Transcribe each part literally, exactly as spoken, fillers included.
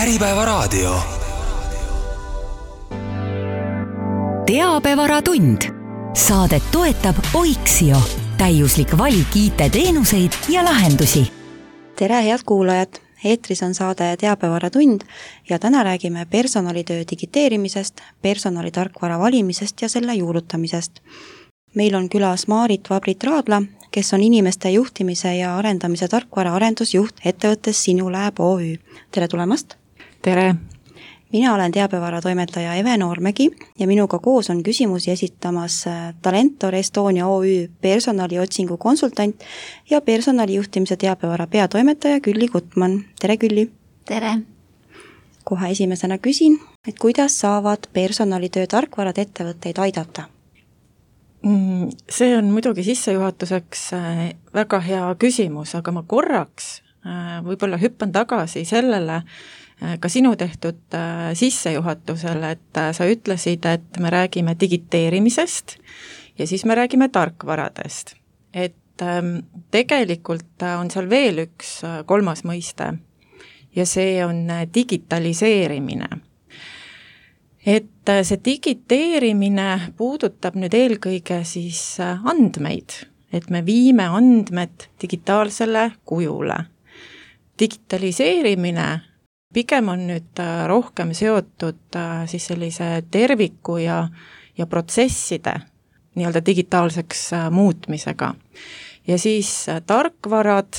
Äripäevaraadio. Teabevaratund. Saadet toetab Oiksio, täiuslik valik I T-teenuseid ja lahendusi. Tere, head kuulajad! Eetris on saade Teabevaratund ja täna räägime personalitöö digiteerimisest, personalitarkvara valimisest ja selle juurutamisest. Meil on külas Maarit Vabrit-Raadla, kes on inimeste juhtimise ja arendamise tarkvara arendusjuht ettevõttes Sinulab O Ü. Tere tulemast! Tere! Mina olen teabevaratoimetaja Eve Noormägi ja minuga koos on küsimusi esitamas Talentor Estonia O Ü personaliotsingu konsultant ja personalijuhtimise teabevara peatoimetaja Külli Gutman. Tere Külli! Tere! Kohe esimesena küsin, et kuidas saavad personalitöö tarkvarad ettevõtteid aidata? See on muidugi sissejuhatuseks väga hea küsimus, aga ma korraks võib-olla hüppan tagasi sellele ka sinu tehtud sissejuhatusele, et sa ütlesid, et me räägime digiteerimisest ja siis me räägime tarkvaradest. Et tegelikult on seal veel üks kolmas mõiste ja see on digitaliseerimine. Et see digiteerimine puudutab nüüd eelkõige siis andmeid, et me viime andmed digitaalsele kujule. Digitaliseerimine pigem on nüüd rohkem seotud siis sellise terviku ja, ja protsesside nii-öelda digitaalseks muutmisega. Ja siis tarkvarad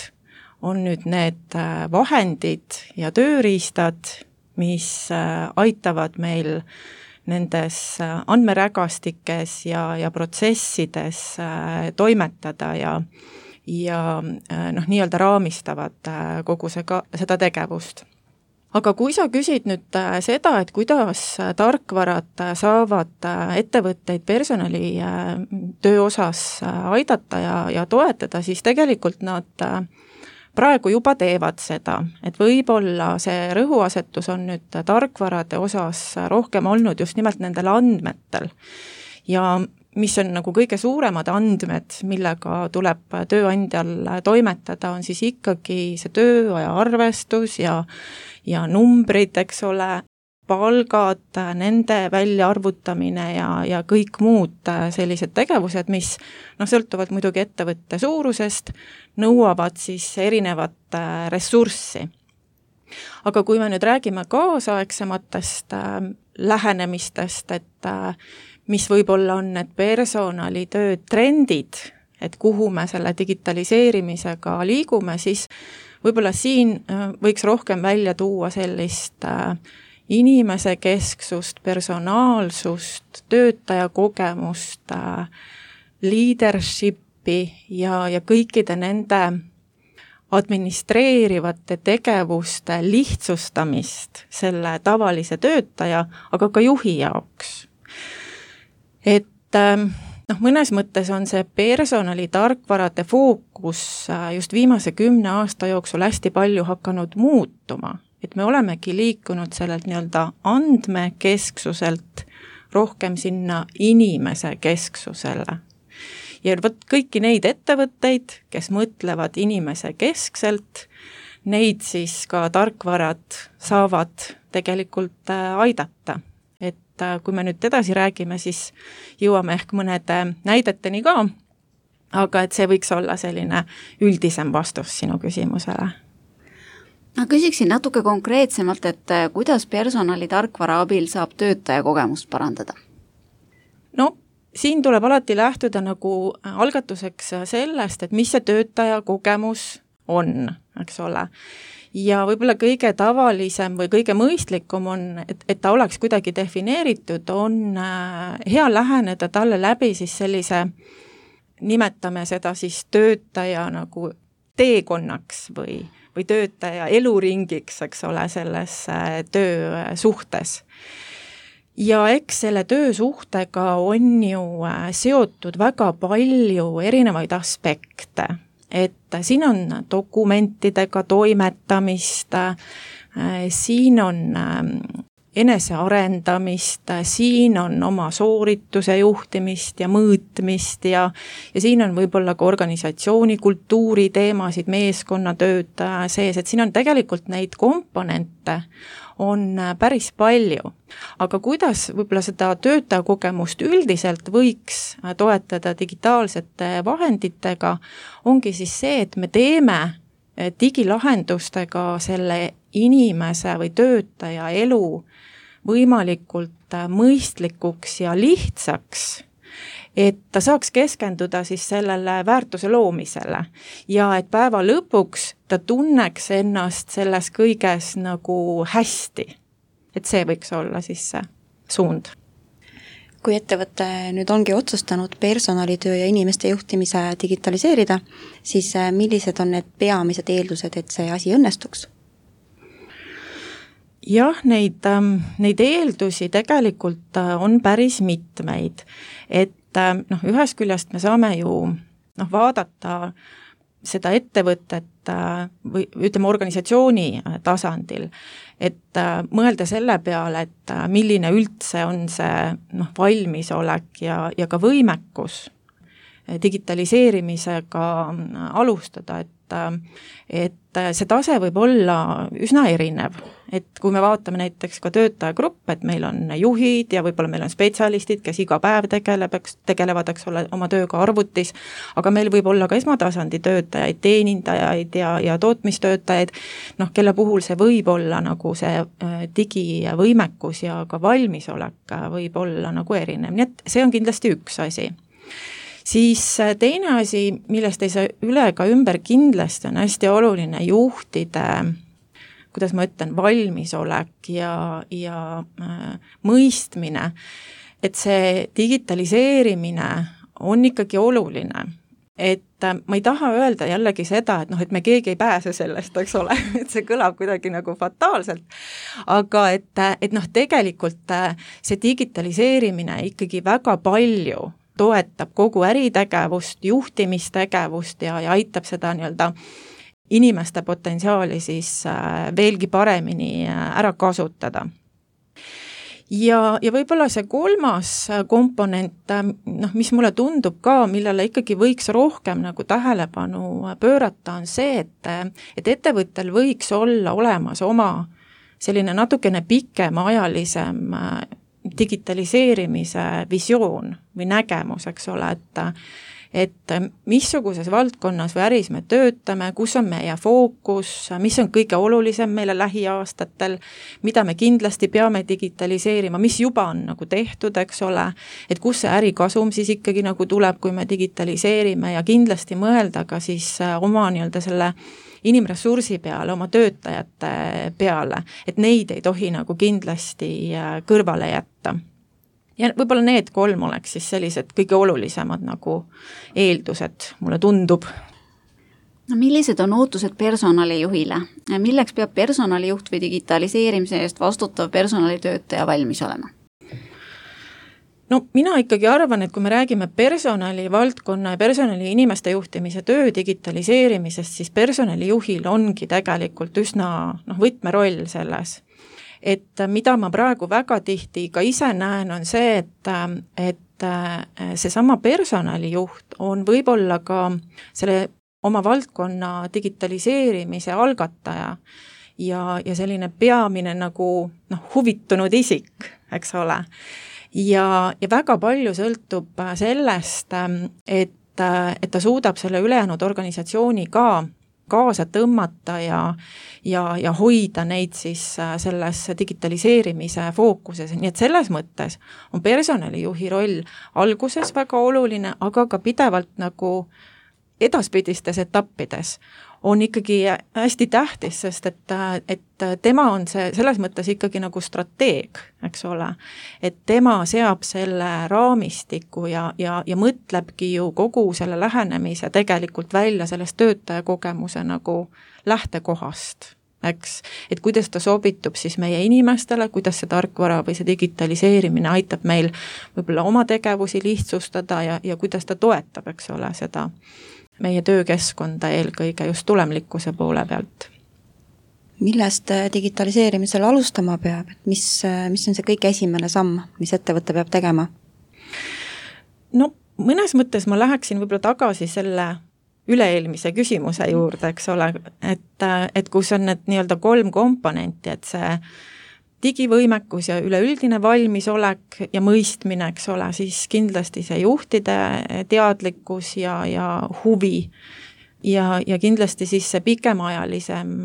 on nüüd need vahendid ja tööriistad, mis aitavad meil nendes andmerägastikes ja, ja protsessides toimetada ja, ja noh, nii-öelda raamistavad kogu see ka, seda tegevust. Aga kui sa küsid nüüd seda, et kuidas tarkvarad saavad ettevõtteid personali töö osas aidata ja, ja toetada, siis tegelikult nad praegu juba teevad seda, et võib-olla see rõhuasetus on nüüd tarkvarade osas rohkem olnud just nimelt nendel andmetel. Ja mis on nagu kõige suuremad andmed, millega tuleb tööandjal toimetada, on siis ikkagi see tööaja arvestus ja, ja numbrid, eks ole, palgad, nende väljaarvutamine ja, ja kõik muud sellised tegevused, mis noh, sõltuvad muidugi ettevõtte suurusest, nõuavad siis erinevat ressurssi. Aga kui me nüüd räägime kaasaegsematest lähenemistest, et mis võib-olla on need personalitöö trendid, et kuhu me selle digitaliseerimisega liigume, siis võib-olla siin võiks rohkem välja tuua sellist inimese kesksust, personaalsust, töötaja kogemust, leadershipi ja, ja kõikide nende administreerivate tegevuste lihtsustamist selle tavalise töötaja, aga ka juhi jaoks. Et noh, mõnes mõttes on see personalitarkvarade fookus just viimase kümne aasta jooksul hästi palju hakanud muutuma, et me olemegi liikunud sellelt nii-öelda andmekesksuselt rohkem sinna inimese kesksusele. Ja võt kõiki neid ettevõtteid, kes mõtlevad inimese keskselt, neid siis ka tarkvarad saavad tegelikult aidata. Kui me nüüd edasi räägime, siis jõuame ehk mõnede näideteni ka, aga et see võiks olla selline üldisem vastus sinu küsimusele. Ma küsiksin natuke konkreetsemalt, et kuidas personalitarkvara abil saab töötaja kogemust parandada? No, siin tuleb alati lähtuda nagu algatuseks sellest, et mis see töötaja kogemus on, eks ole. Ja võib-olla kõige tavalisem või kõige mõistlikum on, et, et ta oleks kuidagi defineeritud, on hea läheneda talle läbi siis sellise, nimetame seda siis töötaja nagu teekonnaks või, või töötaja eluringiks, eks ole, selles töösuhtes. Ja eks selle töösuhtega on ju seotud väga palju erinevaid aspekte. Et siin on dokumentidega toimetamist, siin on enesearendamist, siin on oma soorituse juhtimist ja mõõtmist ja, ja siin on võib-olla ka organisatsiooni kultuuri teemasid, meeskonnatööd sees, et siin on tegelikult neid komponente on päris palju. Aga kuidas võib-olla seda töötajakogemust üldiselt võiks toetada digitaalsete vahenditega, ongi siis see, et me teeme digilahendustega selle inimese või töötaja elu võimalikult mõistlikuks ja lihtsaks, et ta saaks keskenduda siis sellele väärtuse loomisele ja et päeva lõpuks ta tunneks ennast selles kõiges nagu hästi. Et see võiks olla siis see suund. Kui ettevõte nüüd ongi otsustanud personalitöö ja inimeste juhtimise digitaliseerida, siis millised on need peamised eeldused, et see asi õnnestuks? Jah, neid, neid eeldusi tegelikult on päris mitmeid, et noh, ühest küljest me saame ju noh, vaadata seda ettevõtet või ütleme organisatsiooni tasandil, et mõelda selle peale, et milline üldse on see noh, valmisolek ja, ja ka võimekus digitaliseerimisega alustada, et et see tase võib olla üsna erinev, et kui me vaatame näiteks ka töötajagrupp, et meil on juhid ja võib-olla meil on spetsialistid, kes iga päev tegeleb, tegelevad, eks ole, oma tööga arvutis, aga meil võib olla ka esmatasandi töötajaid, teenindajaid ja, ja tootmistöötajaid, noh, kelle puhul see võib olla nagu see digivõimekus ja ka valmisolek võib olla nagu erinev, nii et see on kindlasti üks asi. Siis teine asi, millest ei saa üle ka ümber, kindlasti on hästi oluline juhtide, kuidas ma ütlen, valmisolek ja, ja äh, mõistmine, et see digitaliseerimine on ikkagi oluline. Et äh, ma ei taha öelda jällegi seda, et noh, et me keegi ei pääse sellest, eks ole, et see kõlab kuidagi nagu fataalselt, aga et, et noh, tegelikult äh, see digitaliseerimine ikkagi väga palju toetab kogu äritegevust, juhtimistegevust ja, ja aitab seda nii-öelda inimeste potentsiaali siis veelgi paremini ära kasutada. Ja, ja võib-olla see kolmas komponent, noh, mis mulle tundub ka, millele ikkagi võiks rohkem nagu tähelepanu pöörata, on see, et, et ettevõttel võiks olla olemas oma selline natukene pikemaajalisem digitaliseerimise visioon või nägemus, eks ole, et, et missuguses valdkonnas või äris me töötame, kus on meie fookus, mis on kõige olulisem meile lähiaastatel, mida me kindlasti peame digitaliseerima, mis juba on nagu tehtud, eks ole, et kus see ärikasum siis ikkagi nagu tuleb, kui me digitaliseerime ja kindlasti mõelda ka siis oma nii-öelda selle inimressursi peale, oma töötajate peale, et neid ei tohi nagu kindlasti kõrvale jätta. Ja võib-olla need kolm oleks siis sellised kõige olulisemad nagu eeldused, mulle tundub. No millised on ootused personalijuhile? Milleks peab personalijuht või digitaliseerimise eest vastutav personalitöötaja valmis olema? No mina ikkagi arvan, et kui me räägime personali valdkonna ja personali inimeste juhtimise töö digitaliseerimisest, siis personalijuhil ongi tegelikult üsna noh, võtmeroll selles. Et mida ma praegu väga tihti ka ise näen, on see, et, et seesama personalijuht on võib-olla ka selle oma valdkonna digitaliseerimise algataja ja, ja selline peamine nagu noh, huvitunud isik, eks ole. Ja, ja väga palju sõltub sellest, et, et ta suudab selle ülejäänud organisatsiooni ka kaasa tõmmata ja, ja, ja hoida neid siis selles digitaliseerimise fookuses. Nii et selles mõttes on personalijuhi roll alguses väga oluline, aga ka pidevalt nagu edaspidistes etappides on ikkagi hästi tähtis, sest et, et tema on see selles mõttes ikkagi nagu strateeg, eks ole, et tema seab selle raamistiku ja, ja, ja mõtlebki ju kogu selle lähenemise tegelikult välja sellest töötajakogemuse nagu lähtekohast, eks, et kuidas ta sobitub siis meie inimestele, kuidas see tarkvara või see digitaliseerimine aitab meil võib-olla oma tegevusi lihtsustada ja, ja kuidas ta toetab, eks ole, seda meie töökeskkonda eelkõige just tulemlikkuse poole pealt. millest digitaliseerimisel alustama peab, et mis, mis on see kõige esimene samm, mis ettevõte peab tegema? No mõnes mõttes ma läheksin võib-olla tagasi selle üle-eelmise küsimuse juurde, eks ole, et, et kus on need nii-öelda kolm komponenti, et see digivõimekus ja üleüldine valmisolek ja mõistmine, eks ole, siis kindlasti see juhtide teadlikkus ja, ja huvi ja, ja kindlasti siis see pikemaajalisem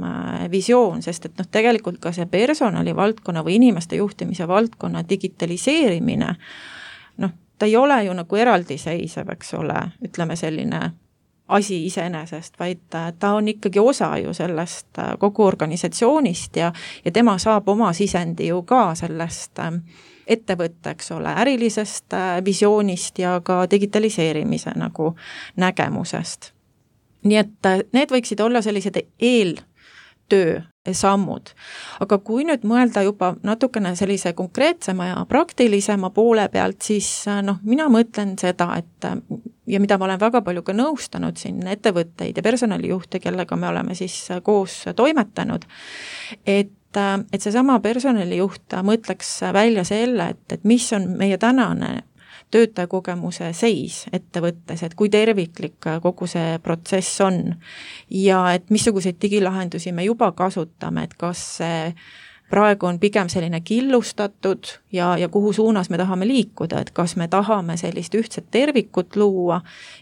visioon, sest et noh, tegelikult ka see personalivaldkonna või inimeste juhtimise valdkonna digitaliseerimine, noh, ta ei ole ju nagu eraldiseisev, eks ole, ütleme selline asi iseenesest, vaid ta on ikkagi osa ju sellest kogu organisatsioonist ja, ja tema saab oma sisendi ju ka sellest ettevõtte, eks ole, ärilisest visioonist ja ka digitaliseerimise nagu nägemusest. Nii et need võiksid olla sellised eeltöö sammud. Aga kui nüüd mõelda juba natukene sellise konkreetsema ja praktilisema poole pealt, siis noh, mina mõtlen seda, et ja mida ma olen väga palju ka nõustanud siin ettevõtteid ja personalijuhte, kellega me oleme siis koos toimetanud, et, et seesama personalijuht mõtleks välja selle, et, et mis on meie tänane töötajakogemuse seis ettevõttes, et kui terviklik kogu see protsess on ja et missuguseid digilahendusi me juba kasutame, et kas see praegu on pigem selline killustatud ja, ja kuhu suunas me tahame liikuda, et kas me tahame sellist ühtset tervikut luua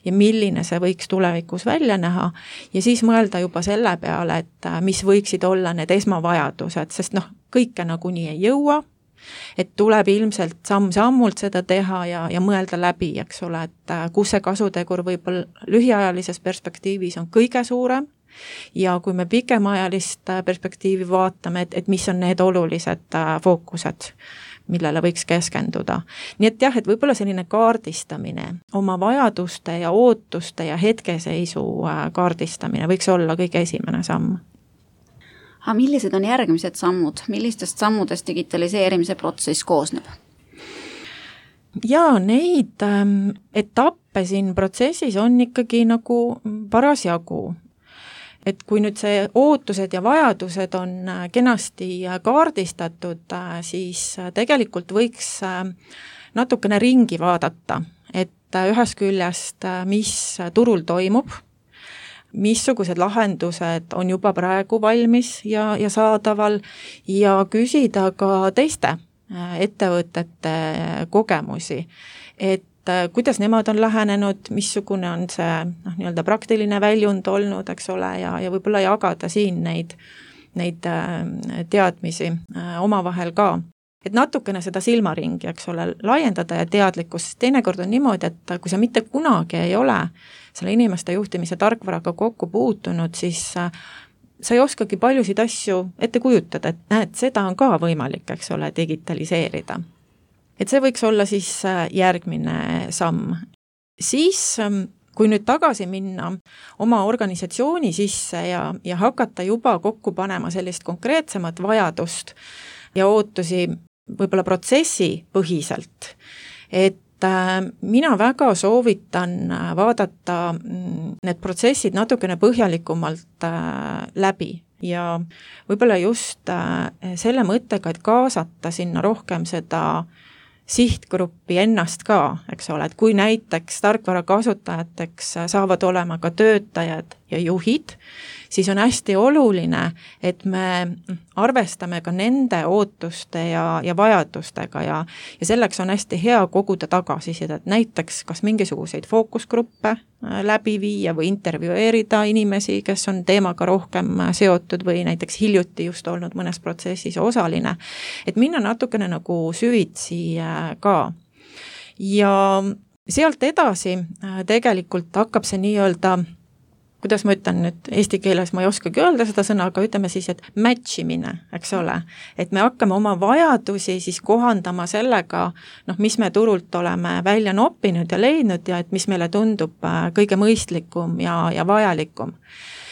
ja milline see võiks tulevikus välja näha ja siis mõelda juba selle peale, et mis võiksid olla need esmavajadused, sest noh, kõike nagunii ei jõua, et tuleb ilmselt samm-sammult seda teha ja, ja mõelda läbi, eks ole, et kus see kasutegur võib-olla lühiajalises perspektiivis on kõige suurem ja kui me pikemaajalist perspektiivi vaatame, et, et mis on need olulised fookused, millele võiks keskenduda. Nii et jah, et võib-olla selline kaardistamine, oma vajaduste ja ootuste ja hetkeseisu kaardistamine võiks olla kõige esimene samm. Aga millised on järgmised sammud? Millistest sammudest digitaliseerimise protsess koosneb? Ja neid ähm, etappe siin protsessis on ikkagi nagu parasjagu. Et kui nüüd see ootused ja vajadused on kenasti kaardistatud, siis tegelikult võiks natukene ringi vaadata, et ühest küljest, mis turul toimub, missugused lahendused on juba praegu valmis ja, ja saadaval ja küsida ka teiste ettevõtete kogemusi, et kuidas nemad on lähenenud, missugune on see noh, nii-öelda praktiline väljund olnud, eks ole, ja, ja võib-olla jagada siin neid, neid teadmisi omavahel ka. Et natukene seda silmaringi, eks ole, laiendada ja teadlikkust, teinekord on niimoodi, et kui sa mitte kunagi ei ole selle inimeste juhtimise tarkvaraga kokku puutunud, siis sa ei oskagi paljusid asju ette kujutada, et näed, seda on ka võimalik, eks ole, digitaliseerida. Et see võiks olla siis järgmine samm. Siis, kui nüüd tagasi minna oma organisatsiooni sisse ja, ja hakata juba kokku panema sellist konkreetsemat vajadust ja ootusi võib-olla protsessi põhiselt, et mina väga soovitan vaadata need protsessid natukene põhjalikumalt läbi ja võib-olla just selle mõttega, et kaasata sinna rohkem seda sihtgruppi ennast ka, eks ole, et kui näiteks tarkvara kasutajateks saavad olema ka töötajad ja juhid, siis on hästi oluline, et me arvestame ka nende ootuste ja, ja vajadustega ja, ja selleks on hästi hea koguda tagasisidet, näiteks kas mingisuguseid fookusgruppe läbi viia või intervjueerida inimesi, kes on teemaga rohkem seotud või näiteks hiljuti just olnud mõnes protsessis osaline, et minna natukene nagu süvitsi ka. Ja sealt edasi tegelikult hakkab see nii-öelda, kuidas ma ütlen nüüd eesti keeles, ma ei oskagi öelda seda sõna, aga ütleme siis, et matchimine, eks ole, et me hakkame oma vajadusi siis kohandama sellega, noh, mis me turult oleme välja noppinud ja leidnud ja et mis meile tundub kõige mõistlikum ja, ja vajalikum.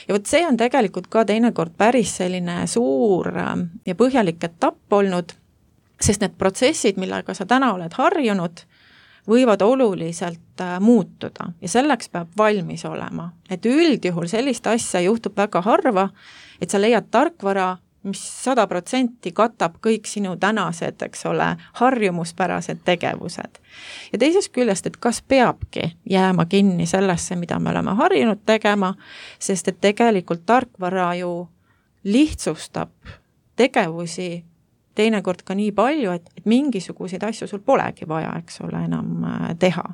Ja võt see on tegelikult ka teinekord päris selline suur ja põhjalik etapp olnud, sest need protsessid, millega sa täna oled harjunud, võivad oluliselt muutuda ja selleks peab valmis olema. Et üldjuhul sellist asja juhtub väga harva, et sa leiad tarkvara mis sada protsenti katab kõik sinu tänased, eks ole, harjumuspärased tegevused. Ja teisest küljest, et kas peabki jääma kinni sellesse, mida me oleme harjunud tegema, sest et tegelikult tarkvara ju lihtsustab tegevusi teinekord ka nii palju, et, et mingisuguseid asju sul polegi vaja, eks ole, enam teha.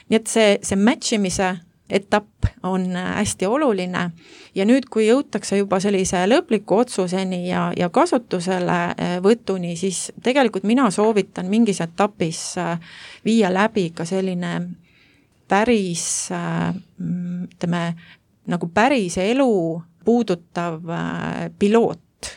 Nii et see, see matchimise etapp on hästi oluline ja nüüd, kui jõutakse juba sellise lõpliku otsuseni ja, ja kasutusele võtuni, siis tegelikult mina soovitan mingis etapis viia läbi ka selline päris, ütleme, nagu päris elu puudutav piloot.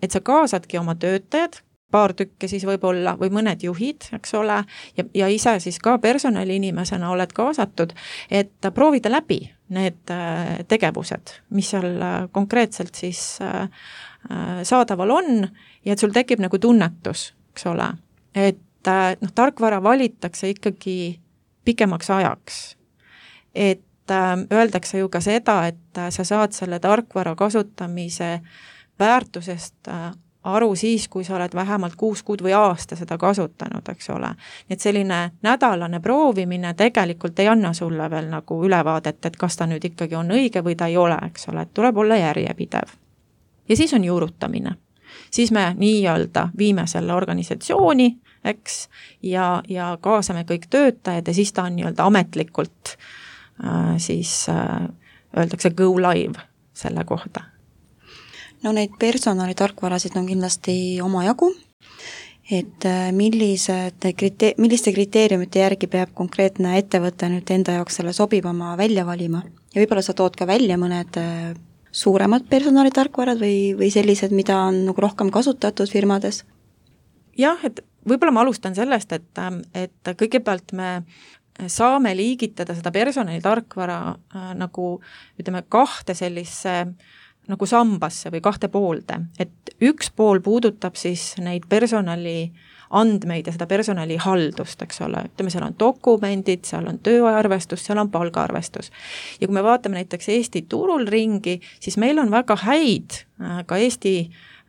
Et sa kaasadki oma töötajad, paar tükki siis võib-olla, või mõned juhid, eks ole, ja, ja ise siis ka personali inimesena oled kaasatud, et proovida läbi need tegevused, mis seal konkreetselt siis saadaval on, ja et sul tekib nagu tunnetus, eks ole, et noh, tarkvara valitakse ikkagi pikemaks ajaks, et öeldakse ju ka seda, et sa saad selle tarkvara kasutamise väärtusest aru siis, kui sa oled vähemalt kuus kuud või aasta seda kasutanud, eks ole. Nii et selline nädalane proovimine tegelikult ei anna sulle veel nagu ülevaadet, et kas ta nüüd ikkagi on õige või ta ei ole, eks ole, et tuleb olla järjepidev. Ja siis on juurutamine. Siis me nii-öelda viime selle organisatsiooni, eks, ja, ja kaasame kõik töötajad ja siis ta on nii-öelda ametlikult äh, siis äh, öeldakse go live selle kohta. No neid personalitarkvarasid on kindlasti omajagu, et millised kriteer- milliste kriteeriumite järgi peab konkreetne ettevõte nüüd enda jaoks selle sobivama välja valima ja võib-olla sa tood ka välja mõned suuremad personalitarkvarad või, või sellised, mida on nagu rohkem kasutatud firmades? Jah, et võib-olla ma alustan sellest, et, et kõigepealt me saame liigitada seda personalitarkvara äh, nagu ütleme kahte sellise nagu sambasse või kahte poolde, et üks pool puudutab siis neid personali andmeid ja seda personali haldust, eks ole, ütleme, seal on dokumendid, seal on tööajaarvestus, seal on palgaarvestus. Ja kui me vaatame näiteks Eesti turul ringi, siis meil on väga häid ka Eesti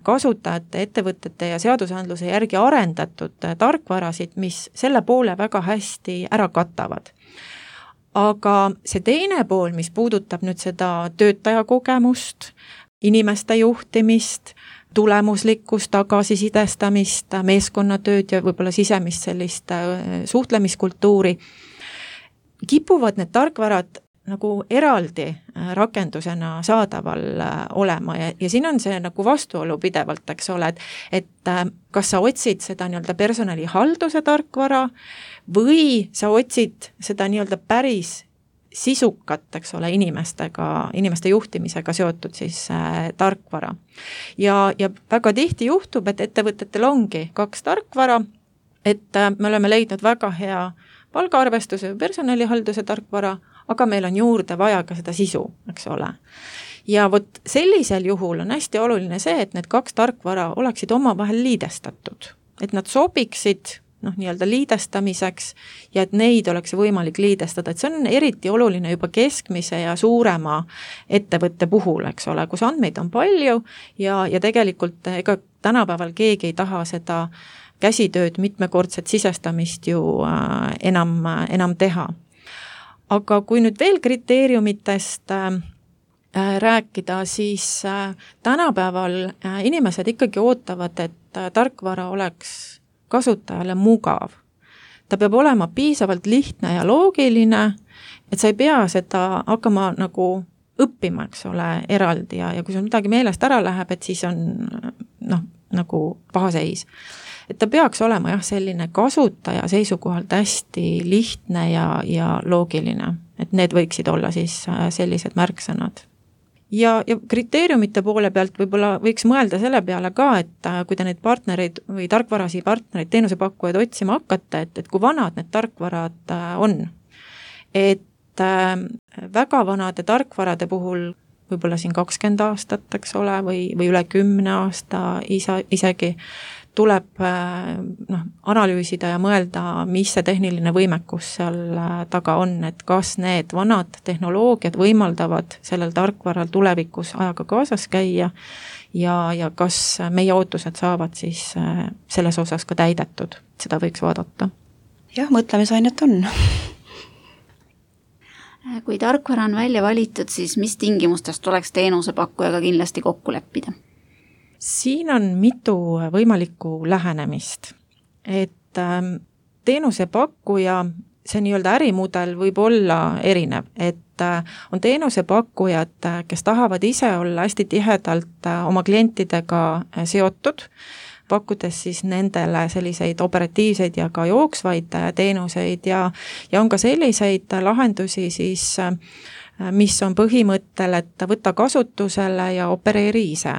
kasutajate, ettevõtete ja seadusandluse järgi arendatud tarkvarasid, mis selle poole väga hästi ära katavad. Aga see teine pool, mis puudutab nüüd seda töötaja kogemust, inimeste juhtimist, tulemuslikkust, tagasisidestamist, meeskonnatööd ja võib-olla sisemist sellist suhtlemiskultuuri, kipuvad need tarkvarad nagu eraldi rakendusena saadaval olema ja, ja siin on see nagu vastuolu pidevalt, eks ole, et, et kas sa otsid seda nii-öelda personalihalduse tarkvara või sa otsid seda nii-öelda päris sisukat, eks ole, inimestega, inimeste juhtimisega seotud siis äh, tarkvara. Ja, ja väga tihti juhtub, et ettevõtetel ongi kaks tarkvara, et äh, me oleme leidnud väga hea palgaarvestuse või personalihalduse tarkvara, aga meil on juurde vaja ka seda sisu, eks ole. Ja vot sellisel juhul on hästi oluline see, et need kaks tarkvara oleksid omavahel liidestatud, et nad sobiksid noh, nii-öelda liidestamiseks ja et neid oleks võimalik liidestada, et see on eriti oluline juba keskmise ja suurema ettevõtte puhul, eks ole, kus andmeid on palju ja, ja tegelikult ega tänapäeval keegi ei taha seda käsitööd mitmekordset sisestamist ju äh, enam, äh, enam teha. Aga kui nüüd veel kriteeriumitest äh, rääkida, siis äh, tänapäeval äh, inimesed ikkagi ootavad, et äh, tarkvara oleks kasutajale mugav. Ta peab olema piisavalt lihtne ja loogiline, et sa ei pea seda hakkama nagu õppima, eks ole, eraldi ja, ja kui sul midagi meelest ära läheb, et siis on noh, nagu pahaseis. Et ta peaks olema jah, selline kasutaja seisukohalt hästi lihtne ja, ja loogiline, et need võiksid olla siis sellised märksõnad. Ja, ja kriteeriumite poole pealt võib-olla võiks mõelda selle peale ka, et kui te neid partnereid või tarkvarasi partnereid, teenusepakkujaid otsima hakkate, et, et kui vanad need tarkvarad on. Et väga vanade tarkvarade puhul võib-olla siin kakskümmend aastat, eks ole, või, või üle kümne aasta isa, isegi tuleb noh, analüüsida ja mõelda, mis see tehniline võimekus seal taga on, et kas need vanad tehnoloogiad võimaldavad sellel tarkvaral tulevikus ajaga kaasas käia ja, ja kas meie ootused saavad siis selles osas ka täidetud, seda võiks vaadata. Jah, mõtlemisainet on. Kui tarkvara on välja valitud, siis mis tingimustest tuleks teenusepakkujaga kindlasti kokku leppida? Siin on mitu võimalikku lähenemist, et teenusepakkuja, see nii-öelda ärimudel võib olla erinev, et on teenusepakkujad, kes tahavad ise olla hästi tihedalt oma klientidega seotud, pakkudes siis nendele selliseid operatiivseid ja ka jooksvaid teenuseid ja, ja on ka selliseid lahendusi siis, mis on põhimõttel, et võtta kasutusele ja opereeri ise.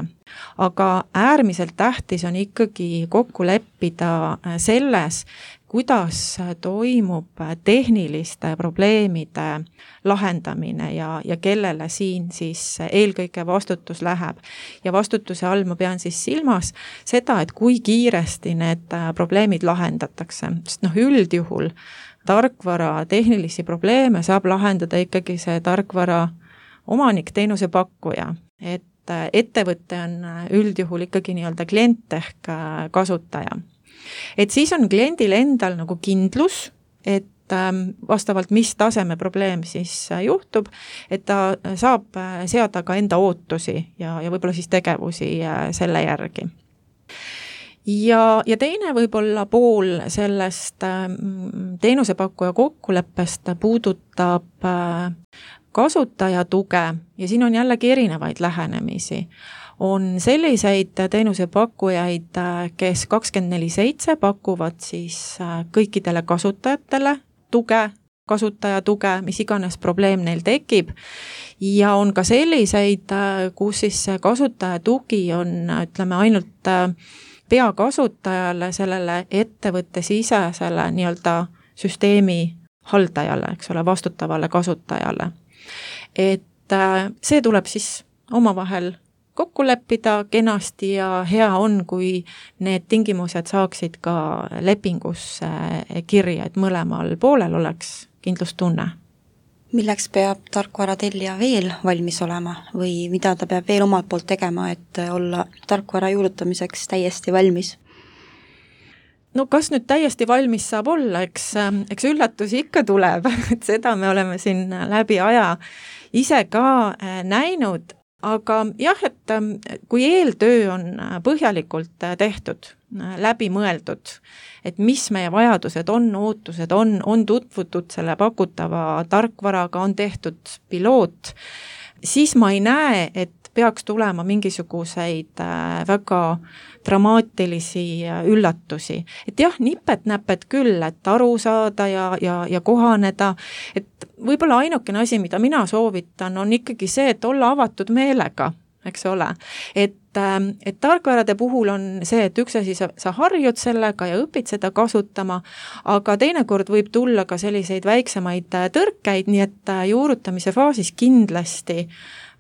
Aga äärmiselt tähtis on ikkagi kokku leppida selles, kuidas toimub tehniliste probleemide lahendamine ja, ja kellele siin siis eelkõige vastutus läheb. Ja vastutuse all ma pean siis silmas seda, et kui kiiresti need probleemid lahendatakse, sest noh, üldjuhul tarkvara tehnilisi probleeme saab lahendada ikkagi see tarkvara omanik, teenusepakkuja, et ettevõte on üldjuhul ikkagi nii-öelda klient ehk kasutaja. Et siis on kliendil endal nagu kindlus, et vastavalt mis taseme probleem siis juhtub, et ta saab seada ka enda ootusi ja, ja võib-olla siis tegevusi selle järgi. Ja, ja teine võib-olla pool sellest teenusepakkuja kokkuleppest puudutab kasutaja tuge ja siin on jällegi erinevaid lähenemisi. On selliseid teenusepakkujaid, kes kakskümmend neli seitse pakuvad siis kõikidele kasutajatele tuge, kasutaja tuge, mis iganes probleem neil tekib. Ja on ka selliseid, kus siis kasutaja tugi on, ütleme, ainult peakasutajale, sellele ettevõtte sisesele nii-öelda süsteemi haldajale, eks ole, vastutavale kasutajale. Et see tuleb siis omavahel kokku leppida kenasti ja hea on, kui need tingimused saaksid ka lepingusse kirja, et mõlemal poolel oleks kindlustunne. Milleks peab tarkvara tellija veel valmis olema või mida ta peab veel omalt poolt tegema, et olla tarkvara juurutamiseks täiesti valmis? No kas nüüd täiesti valmis saab olla, eks, eks üllatusi ikka tuleb, et seda me oleme siin läbi aja ise ka näinud, aga jah, et kui eeltöö on põhjalikult tehtud, läbi mõeldud, et mis meie vajadused on, ootused on, on tutvutud selle pakutava tarkvaraga, on tehtud piloot, siis ma ei näe, et peaks tulema mingisuguseid väga dramaatilisi üllatusi. Et jah, nipet-näpet küll, et aru saada ja, ja, ja kohaneda, et võib-olla ainukene asi, mida mina soovitan, on ikkagi see, et olla avatud meelega, eks ole. Et, et tarkvarade puhul on see, et üks asi sa, sa harjud sellega ja õpid seda kasutama, aga teinekord võib tulla ka selliseid väiksemaid tõrkeid, nii et juurutamise faasis kindlasti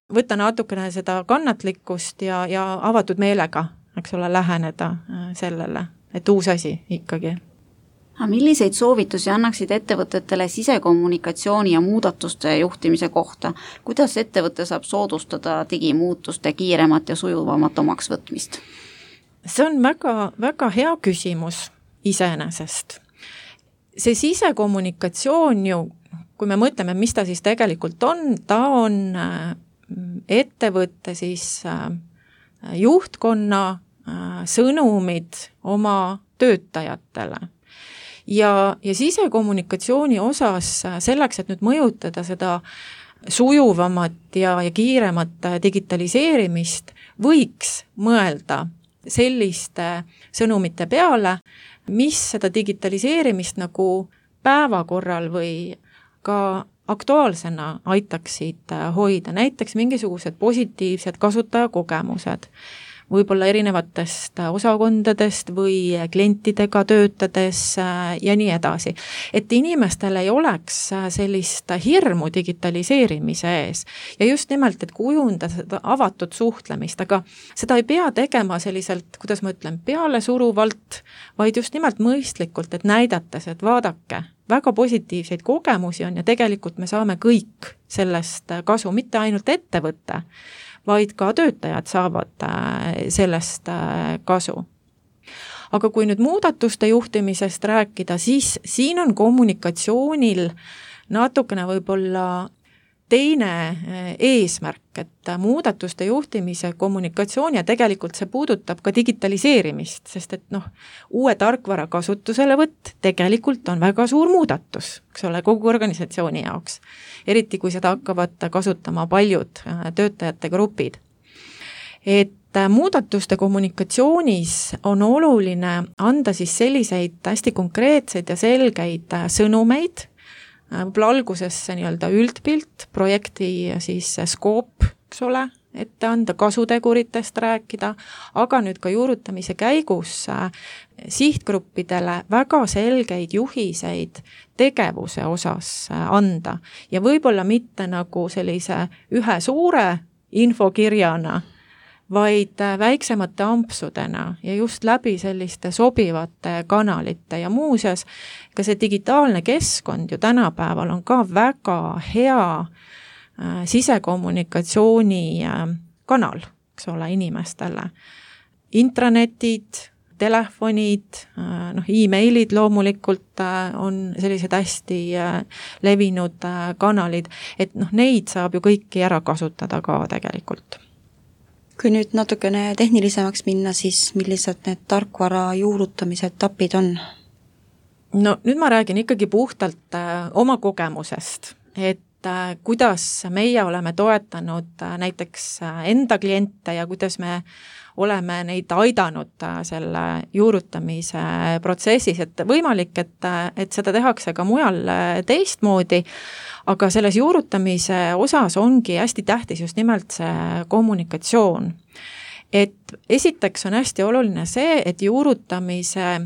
võtta natukene seda kannatlikkust ja, ja avatud meelega, eks ole, läheneda sellele, et uus asi ikkagi. Aga milliseid soovitusi annaksid ettevõtetele sisekommunikatsiooni ja muudatuste juhtimise kohta? Kuidas ettevõte saab soodustada digimuutuste kiiremat ja sujuvamat omaks võtmist? See on väga, väga hea küsimus iseenesest. See sisekommunikatsioon ju, kui me mõtleme, mis ta siis tegelikult on, ta on ettevõtte siis juhtkonna sõnumid oma töötajatele. Ja, ja sisekommunikatsiooni osas selleks, et nüüd mõjutada seda sujuvamat ja, ja kiiremat digitaliseerimist, võiks mõelda selliste sõnumite peale, mis seda digitaliseerimist nagu päevakorral või ka aktuaalsena aitaksid hoida, näiteks mingisugused positiivsed kasutajakogemused, võib-olla erinevatest osakondadest või klientidega töötades ja nii edasi. Et inimestel ei oleks sellist hirmu digitaliseerimise ees ja just nimelt, et kujunda seda avatud suhtlemist, aga seda ei pea tegema selliselt, kuidas ma ütlen, peale suruvalt, vaid just nimelt mõistlikult, et näidates, et vaadake, väga positiivseid kogemusi on ja tegelikult me saame kõik sellest kasu, mitte ainult ettevõtte, vaid ka töötajad saavad sellest kasu. Aga kui nüüd muudatuste juhtimisest rääkida, siis siin on kommunikatsioonil natukene võib-olla teine eesmärk, et muudatuste juhtimise kommunikatsioon ja tegelikult see puudutab ka digitaliseerimist, sest et noh, uue tarkvara kasutuselevõtt tegelikult on väga suur muudatus, eks ole, kogu organisatsiooni jaoks. Eriti kui seda hakkavad kasutama paljud töötajate grupid. Et muudatuste kommunikatsioonis on oluline anda siis selliseid hästi konkreetseid ja selgeid sõnumeid, võib-olla alguses see nii-öelda üldpilt, projekti siis skoop, eks ole, ette anda, kasuteguritest rääkida, aga nüüd ka juurutamise käigus sihtgruppidele väga selgeid juhiseid tegevuse osas anda ja võib-olla mitte nagu sellise ühe suure infokirjana, vaid väiksemate ampsudena ja just läbi selliste sobivate kanalite ja muuseas ka see digitaalne keskkond ju tänapäeval on ka väga hea äh, sisekommunikatsiooni äh, kanal, eks ole, inimestele. Intranetid, telefonid, äh, noh, e-mailid loomulikult äh, on sellised hästi äh, levinud äh, kanalid, et noh, neid saab ju kõiki ära kasutada ka tegelikult. Kui nüüd natukene tehnilisemaks minna, siis millised need tarkvara juurutamise etapid on? No nüüd ma räägin ikkagi puhtalt äh, oma kogemusest, et äh, kuidas meie oleme toetanud äh, näiteks äh, enda kliente ja kuidas me oleme neid aidanud äh, selle juurutamise protsessis, et võimalik, et, äh, et seda tehakse ka mujal äh, teistmoodi, aga selles juurutamise osas ongi hästi tähtis just nimelt see kommunikatsioon. Et esiteks on hästi oluline see, et juurutamise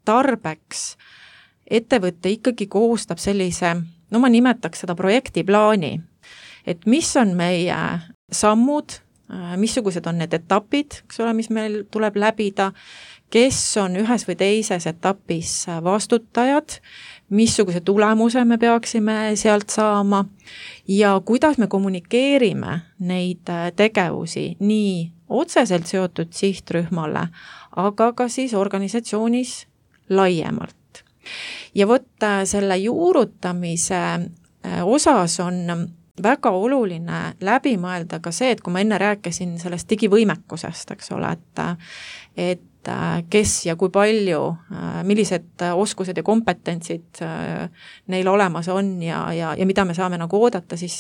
tarbeks ettevõte ikkagi koostab sellise, no ma nimetaks seda projektiplaani, et mis on meie sammud, missugused on need etapid, eks ole, mis meil tuleb läbida, kes on ühes või teises etapis vastutajad, missuguse tulemuse me peaksime sealt saama ja kuidas me kommunikeerime neid tegevusi nii otseselt seotud sihtrühmale, aga ka siis organisatsioonis laiemalt. Ja võtta selle juurutamise osas on väga oluline läbi mõelda ka see, et kui ma enne rääkisin sellest digivõimekusest, eks ole, et, et kes ja kui palju, millised oskused ja kompetentsid neil olemas on ja, ja, ja mida me saame nagu oodata, siis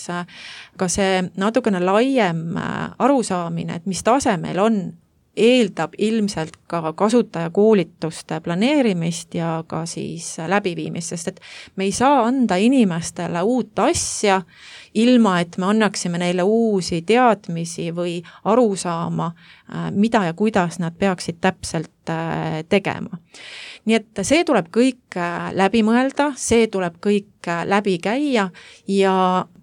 ka see natukene laiem arusaamine, et mis tase meil on, eeldab ilmselt ka kasutajakoolituste planeerimist ja ka siis läbiviimist, sest et me ei saa anda inimestele uut asja, ilma et me annaksime neile uusi teadmisi või arusaama, mida ja kuidas nad peaksid täpselt tegema. Nii et see tuleb kõik läbi mõelda, see tuleb kõik läbi käia ja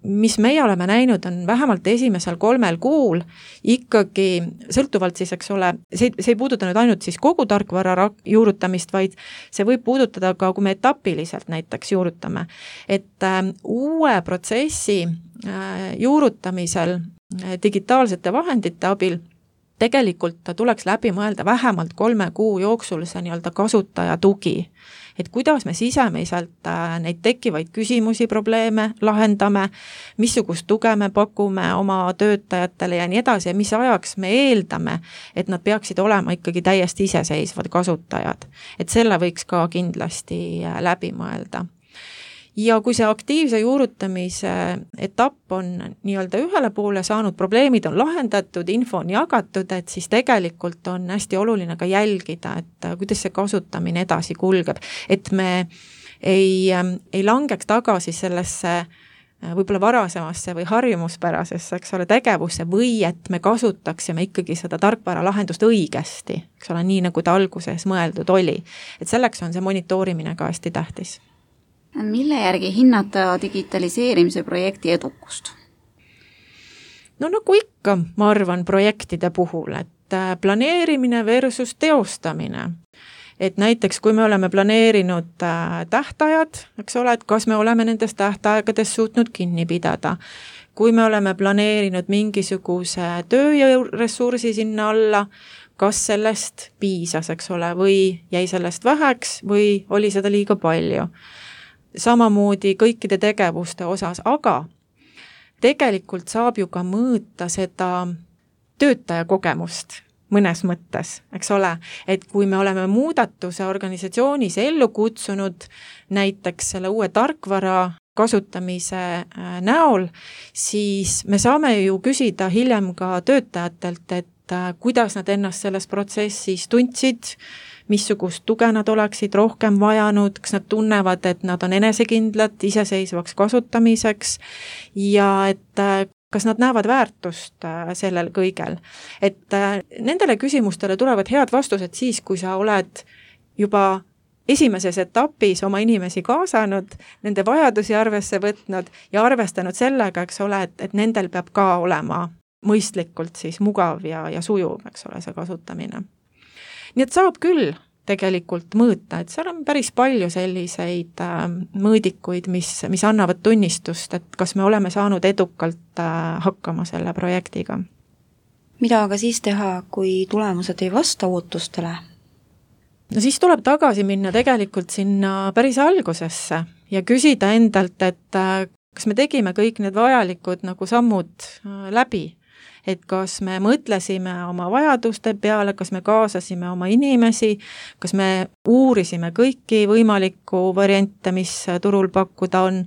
mis meie oleme näinud, on vähemalt esimesel kolmel kuul ikkagi sõltuvalt siis, eks ole, see, see ei puuduta nüüd ainult siis kogu tarkvara juurutamist, vaid see võib puudutada ka, kui me etapiliselt näiteks juurutame, et äh, uue protsessi äh, juurutamisel äh, digitaalsete vahendite abil tegelikult tuleks läbi mõelda vähemalt kolme kuu jooksul see nii-öelda kasutaja tugi. Et kuidas me sisemiselt neid tekkivaid küsimusi, probleeme lahendame, missugust tuge me pakume oma töötajatele ja nii edasi ja mis ajaks me eeldame, et nad peaksid olema ikkagi täiesti iseseisvad kasutajad. Et selle võiks ka kindlasti läbi mõelda. Ja kui see aktiivse juurutamise etapp on nii-öelda ühele poole saanud, probleemid on lahendatud, info on jagatud, et siis tegelikult on hästi oluline ka jälgida, et kuidas see kasutamine edasi kulgeb, et me ei, ei langeks tagasi sellesse võib-olla varasemasse või harjumuspärasesse, eks ole, tegevusse või et me kasutaksime ikkagi seda tarkvara lahendust õigesti, eks ole, nii nagu ta alguses mõeldud oli. Et selleks on see monitoorimine ka hästi tähtis. Mille järgi hinnata digitaliseerimise projekti edukust? No nagu ikka, ma arvan, projektide puhul, et planeerimine versus teostamine. Et näiteks, kui me oleme planeerinud tähtajad, eks ole, et kas me oleme nendest tähtaegadest suutnud kinni pidada. kui me oleme planeerinud mingisuguse tööjõuressursi sinna alla, kas sellest piisas, eks ole, või jäi sellest väheks või oli seda liiga palju. Samamoodi kõikide tegevuste osas, aga tegelikult saab ju ka mõõta seda töötaja kogemust mõnes mõttes, eks ole, et kui me oleme muudatuse organisatsioonis ellu kutsunud näiteks selle uue tarkvara kasutamise näol, siis me saame ju küsida hiljem ka töötajatelt, et kuidas nad ennast selles protsessis tundsid, missugust tuge nad oleksid rohkem vajanud, kas nad tunnevad, et nad on enesekindlad iseseisvaks kasutamiseks ja et kas nad näevad väärtust sellel kõigel. Et nendele küsimustele tulevad head vastused siis, kui sa oled juba esimeses etapis oma inimesi kaasanud, nende vajadusi arvesse võtnud ja arvestanud sellega, eks ole, et, et nendel peab ka olema mõistlikult siis mugav ja, ja sujuv, eks ole, see kasutamine. Nii et saab küll tegelikult mõõta, et seal on päris palju selliseid äh, mõõdikuid, mis, mis annavad tunnistust, et kas me oleme saanud edukalt äh, hakkama selle projektiga. Mida aga siis teha, kui tulemused ei vasta ootustele? No siis tuleb tagasi minna tegelikult sinna päris algusesse ja küsida endalt, et äh, kas me tegime kõik need vajalikud nagu sammud äh, läbi. Et kas me mõtlesime oma vajaduste peale, kas me kaasasime oma inimesi, kas me uurisime kõiki võimalikku variante, mis turul pakkuda on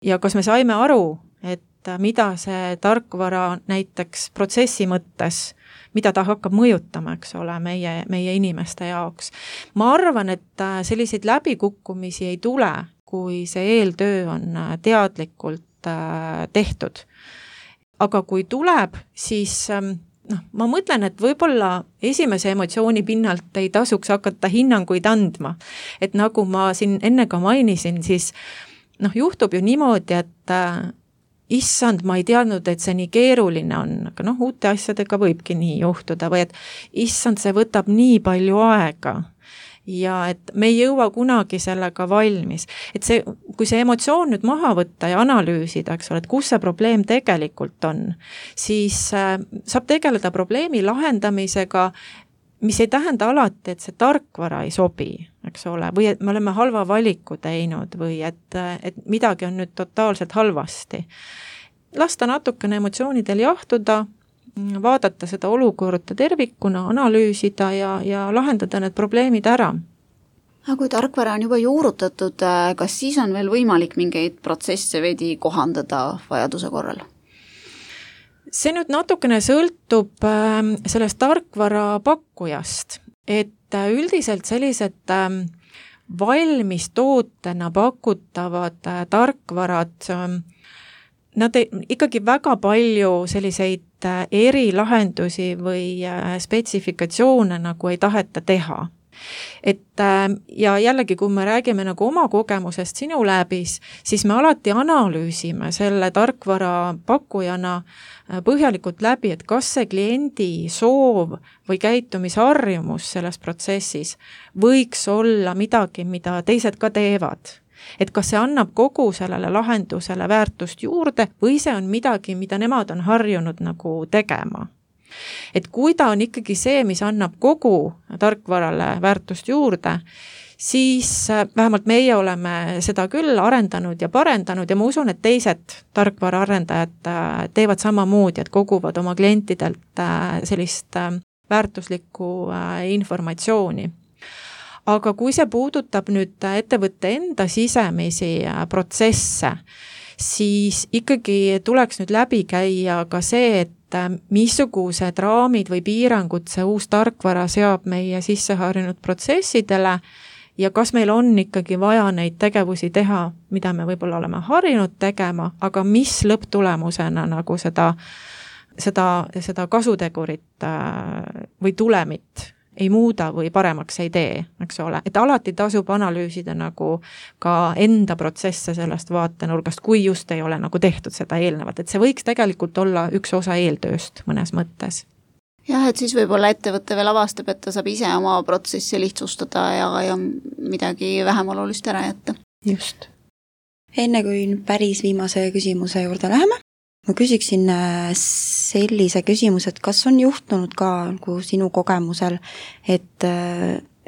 ja kas me saime aru, et mida see tarkvara näiteks protsessi mõttes, mida ta hakkab mõjutama, eks ole, meie, meie inimeste jaoks. Ma arvan, et selliseid läbikukkumisi ei tule, kui see eeltöö on teadlikult tehtud. Aga kui tuleb, siis noh, ma mõtlen, et võib-olla esimese emotsiooni pinnalt ei tasuks hakata hinnanguid andma. Et nagu ma siin enne ka mainisin, siis noh, juhtub ju niimoodi, et äh, issand, ma ei teadnud, et see nii keeruline on, aga noh, uute asjadega võibki nii juhtuda või et issand, see võtab nii palju aega. Ja et me ei jõua kunagi sellega valmis. Et see, kui see emotsioon nüüd maha võtta ja analüüsida, eks ole, et kus see probleem tegelikult on, siis äh, saab tegeleda probleemi lahendamisega, mis ei tähenda alati, et see tarkvara ei sobi, eks ole, või et me oleme halva valiku teinud või et, et midagi on nüüd totaalselt halvasti. Lasta natukene emotsioonidel jahtuda, vaadata seda olukorda tervikuna, analüüsida ja, ja lahendada need probleemid ära. Aga kui tarkvara on juba juurutatud, kas siis on veel võimalik mingeid protsesse veidi kohandada vajaduse korral? See nüüd natukene sõltub sellest tarkvara pakkujast, et üldiselt sellised valmis tootena pakutavad tarkvarad, nad ei, ikkagi väga palju selliseid erilahendusi või spetsifikatsioone nagu ei taheta teha. Et ja jällegi, kui me räägime nagu oma kogemusest sinu läbis, siis me alati analüüsime selle tarkvara pakkujana põhjalikult läbi, et kas see kliendi soov või käitumisharjumus selles protsessis võiks olla midagi, mida teised ka teevad. Et kas see annab kogu sellele lahendusele väärtust juurde või see on midagi, mida nemad on harjunud nagu tegema. Et kui ta on ikkagi see, mis annab kogu tarkvarale väärtust juurde, siis vähemalt meie oleme seda küll arendanud ja parendanud ja ma usun, et teised tarkvaraarendajad teevad samamoodi, et koguvad oma klientidelt sellist väärtuslikku informatsiooni. Aga kui see puudutab nüüd ettevõtte enda sisemisi protsesse, siis ikkagi tuleks nüüd läbi käia ka see, et missugused raamid või piirangud see uus tarkvara seab meie sisseharjunud protsessidele ja kas meil on ikkagi vaja neid tegevusi teha, mida me võib-olla oleme harjunud tegema, aga mis lõpptulemusena nagu seda, seda, seda kasutegurit või tulemit ei muuda või paremaks ei tee, eks ole. Et alati tasub analüüsida nagu ka enda protsesse sellest vaatenurgast, kui just ei ole nagu tehtud seda eelnevat. Et see võiks tegelikult olla üks osa eeltööst mõnes mõttes. Jah, et siis võib-olla ettevõte veel avastab, et ta saab ise oma protsessi lihtsustada ja, ja midagi vähem olulist ära jätta. Just. Enne kui päris viimase küsimuse juurde läheme, ma küsiksin sellise küsimuse, et kas on juhtunud ka nagu sinu kogemusel, et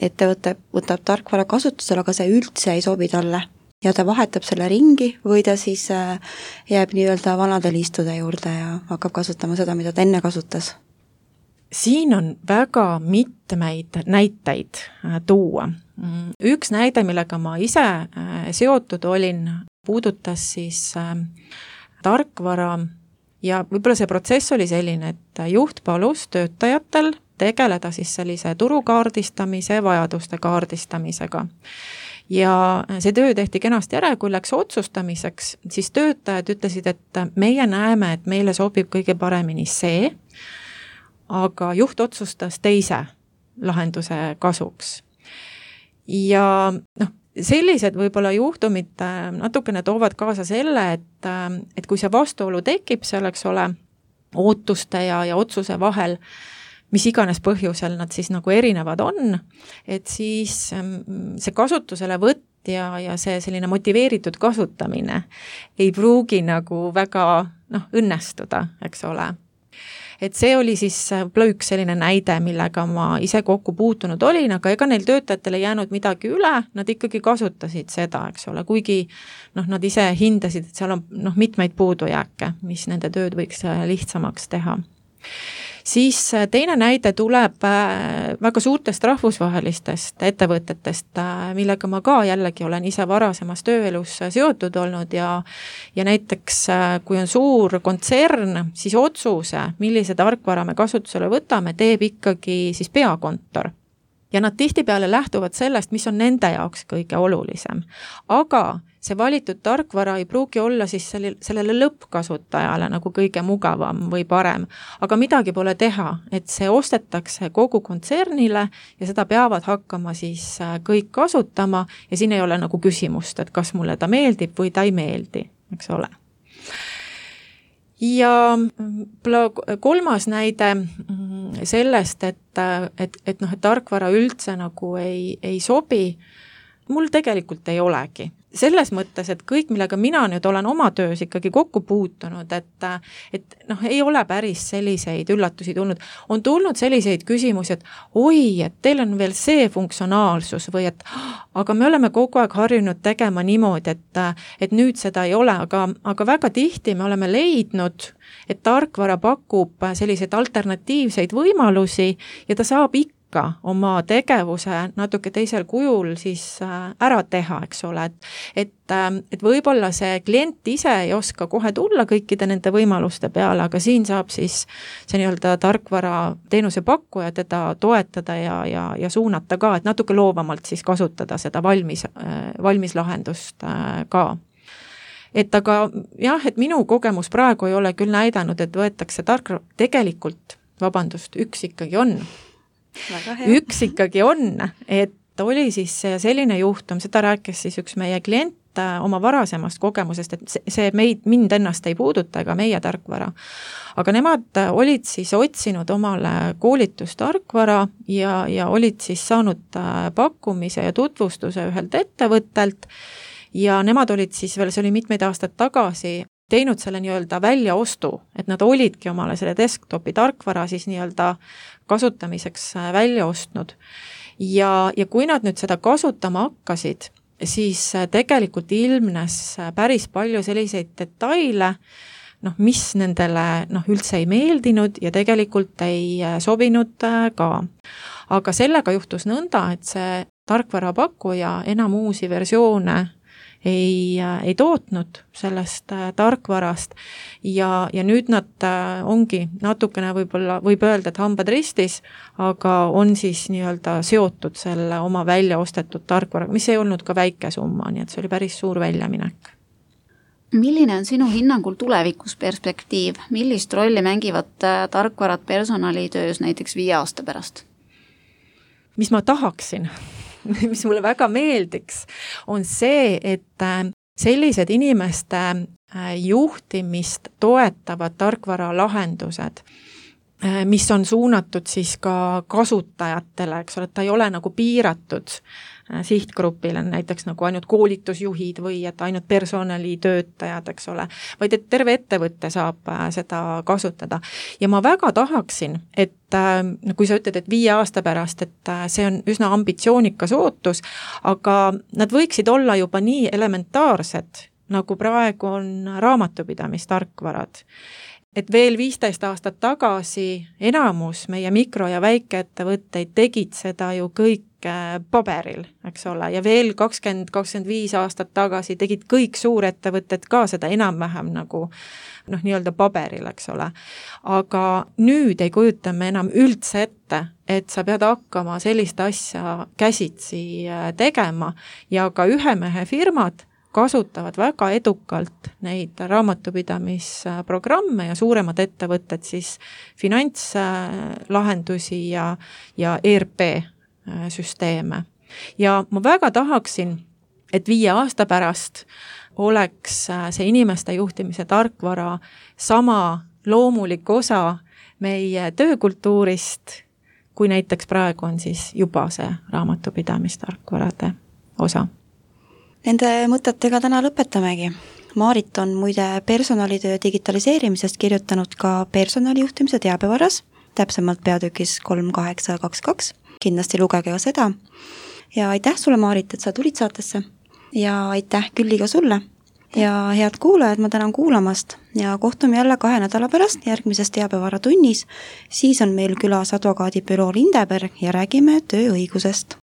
ettevõte võtab tarkvara kasutusele, aga see üldse ei sobi talle ja ta vahetab selle ringi või ta siis jääb nii-öelda vanade liistude juurde ja hakkab kasutama seda, mida ta enne kasutas? Siin on väga mitmeid näiteid tuua. Üks näide, millega ma ise seotud olin, puudutas siis tarkvara ja võib-olla see protsess oli selline, et juht palus töötajatel tegeleda siis sellise turu kaardistamise ja vajaduste kaardistamisega. Ja see töö tehti kenasti ära, kui läks otsustamiseks, siis töötajad ütlesid, et meie näeme, et meile sobib kõige paremini see, aga juht otsustas teise lahenduse kasuks. Ja noh, sellised võib-olla juhtumid natukene toovad kaasa selle, et, et kui see vastuolu tekib, see oleks ole ootuste ja, ja otsuse vahel, mis iganes põhjusel nad siis nagu erinevad on, et siis see kasutusele võtt ja, ja see selline motiveeritud kasutamine ei pruugi nagu väga noh, õnnestuda, eks ole. Et see oli siis üks selline näide, millega ma ise kokku puutunud olin, aga ega neil töötajatele jäänud midagi üle, nad ikkagi kasutasid seda, eks ole, kuigi noh, nad ise hindasid, et seal on noh, mitmeid puudujääke, mis nende tööd võiks lihtsamaks teha. Siis teine näide tuleb väga suurtest rahvusvahelistest ettevõtetest, millega ma ka jällegi olen ise varasemas tööelus seotud olnud ja, ja näiteks kui on suur kontsern, siis otsuse, millise tarkvara me kasutusele võtame, teeb ikkagi siis peakontor. Ja nad tihtipeale lähtuvad sellest, mis on nende jaoks kõige olulisem. Aga see valitud tarkvara ei pruugi olla siis sellele, sellele lõppkasutajale nagu kõige mugavam või parem. Aga midagi pole teha, et see ostetakse kogu kontsernile ja seda peavad hakkama siis kõik kasutama ja siin ei ole nagu küsimust, et kas mulle ta meeldib või ta ei meeldi, eks ole. Ja kolmas näide sellest, et, et, et, noh, et tarkvara üldse nagu ei, ei sobi, mul tegelikult ei olegi. Selles mõttes, et kõik, millega mina nüüd olen oma töös ikkagi kokku puutunud, et, et noh, ei ole päris selliseid üllatusi tulnud. On tulnud selliseid küsimusi, et oi, et teil on veel see funktsionaalsus või et aga me oleme kogu aeg harjunud tegema niimoodi, et, et nüüd seda ei ole, aga, aga väga tihti me oleme leidnud, et tarkvara pakub selliseid alternatiivseid võimalusi ja ta saab ikka oma tegevuse natuke teisel kujul siis ära teha, eks ole, et, et, et võib-olla see klient ise ei oska kohe tulla kõikide nende võimaluste peale, aga siin saab siis see nii-öelda tarkvara teenuse pakkuja teda toetada ja, ja, ja suunata ka, et natuke loovamalt siis kasutada seda valmis, valmis lahendust ka. Et aga jah, et minu kogemus praegu ei ole küll näidanud, et võetakse tarkvara, tegelikult, vabandust, üks ikkagi on. Üks ikkagi on, et oli siis selline juhtum, seda rääkis siis üks meie klient oma varasemast kogemusest, et see meid, mind ennast ei puuduta ega meie tarkvara. Aga nemad olid siis otsinud omale koolitustarkvara ja, ja olid siis saanud pakkumise ja tutvustuse ühelt ettevõttelt ja nemad olid siis veel, see oli mitmeid aastaid tagasi, teinud selle nii-öelda väljaostu, et nad olidki omale selle desktopi tarkvara siis nii-öelda kasutamiseks välja ostnud. Ja, ja kui nad nüüd seda kasutama hakkasid, siis tegelikult ilmnes päris palju selliseid detaile, noh, mis nendele noh, üldse ei meeldinud ja tegelikult ei sobinud ka. Aga sellega juhtus nõnda, et see tarkvarapakkuja enam uusi versioone ei, ei tootnud sellest tarkvarast ja, ja nüüd nad ongi natukene võib-olla, võib öelda, et hambad ristis, aga on siis nii-öelda seotud selle oma välja ostetud tarkvaraga, mis ei olnud ka väike summa, nii et see oli päris suur väljaminek. Milline on sinu hinnangul tulevikus perspektiiv? Millist rolli mängivad tarkvarad personalitöös näiteks viie aasta pärast? Mis ma tahaksin? mis mulle väga meeldiks, on see, et sellised inimeste juhtimist toetavad tarkvara lahendused mis on suunatud siis ka kasutajatele, eks ole, et ta ei ole nagu piiratud sihtgrupile, näiteks nagu ainult koolitusjuhid või et ainult personalitöötajad, eks ole, vaid et terve ettevõte saab seda kasutada. Ja ma väga tahaksin, et kui sa ütled, et viie aasta pärast, et see on üsna ambitsioonikas ootus, aga nad võiksid olla juba nii elementaarsed, nagu praegu on raamatupidamistarkvarad. Et veel viisteist aastat tagasi enamus meie mikro- ja väikeettevõtteid tegid seda ju kõik paberil, eks ole, ja veel kakskümmend, kakskümmend viis aastat tagasi tegid kõik suurettevõtted ka seda enam-vähem nagu noh, nii-öelda paberil, eks ole. Aga nüüd ei kujuta me enam üldse ette, et sa pead hakkama sellist asja käsitsi tegema ja ka ühemehe firmad kasutavad väga edukalt neid raamatupidamisprogramme ja suuremad ettevõtted siis finantslahendusi ja, ja E R P süsteeme. Ja ma väga tahaksin, et viie aasta pärast oleks see inimeste juhtimise tarkvara sama loomulik osa meie töökultuurist, kui näiteks praegu on siis juba see raamatupidamistarkvarade osa. Nende mõtetega täna lõpetamegi. Maarit on muide personalitöö digitaliseerimisest kirjutanud ka personalijuhtimise teabevaras, täpsemalt peatükis kolm kaheksa kaks kaks. Kindlasti lugege ka seda. Ja aitäh sulle, Maarit, et sa tulid saatesse. Ja aitäh Külli ka sulle. Ja head kuulajad, ma tänan kuulamast ja kohtume jälle kahe nädala pärast järgmises teabevara tunnis. Siis on meil külas advokaadibüroo Lindeberg ja räägime tööõigusest.